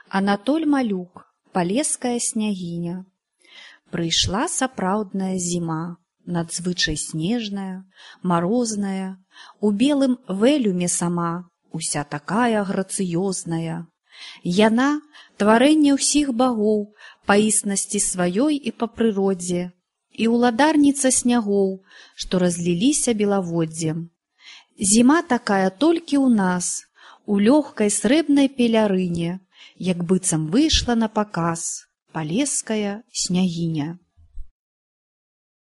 Анатоль Малюк, палеская снягіня. Прыйшла сапраўдная зіма, надзвычай снежная, марозная, у белым вэлюме сама, уся такая грацыёзная. Яна — тварэнне ўсіх багоў па існасці сваёй і па прыродзе, і ўладарніца снягоў, што разліліся белаводдзем. Зіма такая толькі ў нас, у лёгкай срэбнай пелярыне, як быццам выйшла на паказ палеская снягіня.